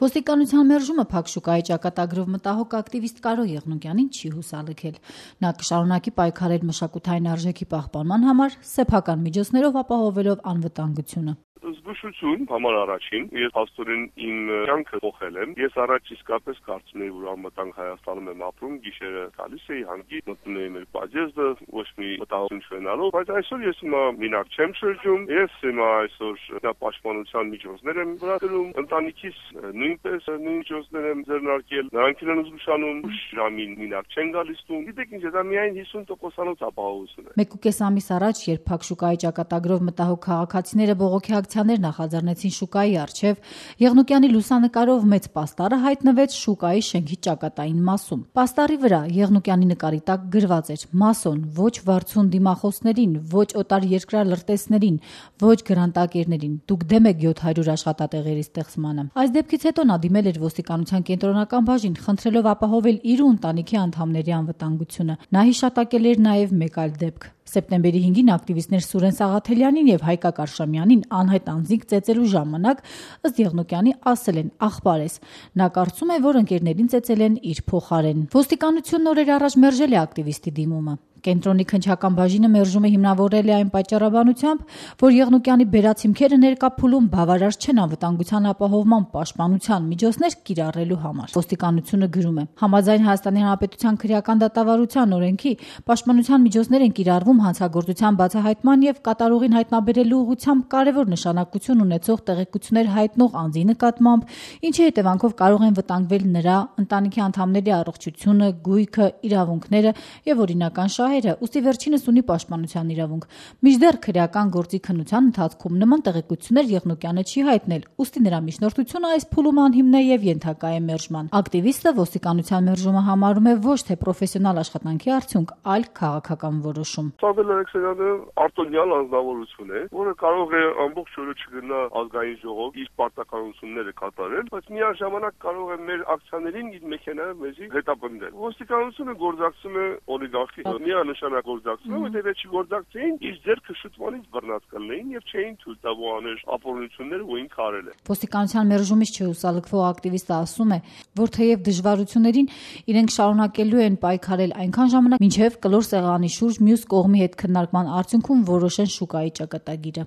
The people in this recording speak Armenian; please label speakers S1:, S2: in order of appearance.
S1: Ոստիկանության մերժումը փակ շուկայի ճակատագրով մտահոգ ակտիվիստ Կարո Եղնուկյանին չի հուսալքել։ Նա կշարունակի պայքարել մշակութային արժեքի պահպանման համար, սեփական միջոցներով ապահովելով անվտանգությունը։
S2: Զգուշություն համար առաջին, ես հաստորեն իմ կյանքը փոխել եմ։ Ես առաջ իսկապես կարծում էի, որ անվտանգ Հայաստանում եմ ապրում, գիշերը գալիս էի հանգի, մտնում էի մեր բաժեզը, ոչ մի մտահոգություն չունենալով, բայց այսօր ես հիմա մենակ չեմ շրջում, ես հիմա այսօր պաշտպանության միջոցներ եմ վրացնում, ընտանիքիս նույնպես նույն միջոցներ եմ ձեռնարկել, նրանք են զգուշանում, ժամին մենակ չեն գալիս տուն։ Գիտեք ինչ, դա միայն 50%-անոց ապահովություն է։
S1: 1.5 ամիս առաջ, երբ փակ շուկայի ճակատագրով մտահոգ քաղաքացիները բողոքի ակցիաներ նախաձեռնեցին շուկայի առջև, Եղնուկյանի լուսանկարով մեծ պաստառը հայտնվեց շուկայի շենքի ճակատային մասում։ Պաստառի վրա Եղնուկյանի նկարի տակ գրված էր. «Մասոն, ոչ վարձուն դիմախոսներին, ոչ օտար երկրյա լրտեսներին, ոչ գրանտակերներին, դուք դեմ եք 700 աշխատատեղերի ստեղծմանը»։ Այս դեպքից հետո նա դիմել էր ոստիկանության կենտրոնական բաժին, խնդրելով ապահովել իր ու ընտանիքի անդամների անվտանգությունը։ Նա հիշատակել էր նաև մեկ այլ դեպք։ Սեպտեմբերի 5-ին ակտիվիստներ Սուրեն Սաղաթելյանին եւ Հայկա Կարշամյանին անհայտ անձինք ծեծելու ժամանակ, ըստ Եղնուկյանի, ասել են «աղբար ես»։ Նա կարծում է, որ ընկերներին ծեծել են իր փոխարեն։ Ոստիկանությունն օրեր առաջ մերժել է ակտիվիստի դիմումը։ Կենտրոնի քննչական բաժինը մերժումը հիմնավորել է այն պատճառաբանությամբ, որ Եղնուկյանի բերած հիմքերը ներկա փուլում բավարար չեն անվտանգության ապահովման պաշտպանության միջոցներ կիրառելու համար։ Ոստիկանությունը գրում է. համաձայն Հայաստանի Հանրապետության քրեական դատավարության օրենքի պաշտպանության միջոցներ են կիրառվում հանցագործության բացահայտման եւ կատարողին հայտնաբերելու ուղղությամբ կարևոր նշանակություն ունեցող տեղեկություններ հայտնող անձի նկատմամբ, ինչի հետևանքով կարող են վտանգվել նրա, ընտանիքի անդամների առողջությունը, գույքը, իրավունքները եւ օրինական շահերը, ուստի վերջինս ունի պաշտպանության իրավունք։ Մինչդեռ քրեական գործի քննության ընթացքում նման տեղեկություններ Եղնուկյանը չի հայտնել, ուստի նրա միջնորդությունը այս փուլում անհիմն է եւ ենթակա է մերժման։ Ակտիվիստը ոստիկանության մերժումը համարում է ոչ թե պրոֆեսիոնալ աշխատանքի արդյունք, այլ քաղաքական որոշում։
S2: Սամվել Ալեքսեյանը արտոնյալ անձնավորություն է, որը կարող է ամբողջ օրը չգնա ազգային ժողով իր պարտականությունները կատարել, բայց միաժամանակ կարող է մեր ակցիաներին իր մեքենայով մեզի հետապնդել։ Ոստիկանությունը գործակցում է օլիգարխի միանշանակ գործակցում, որտեղ չի գործակցեին, իր ձեռքը շուտվանից բռնած կլինեին եւ չէին թույլ տա ոհաներ ապօրինությունները, որ ինքը արել է։
S1: Ոստիկանության մերժումից չհուսալքվող ակտիվիստը ասում է, որ թեև դժվարություններին իրենք շարունակելու են պայքարել այնքան ժամանակ, մինչև կլոր սեղանի շուրջ մյուս կողմի հետ քննարկման արդյունքում որոշեն շուկայի ճակատագիրը։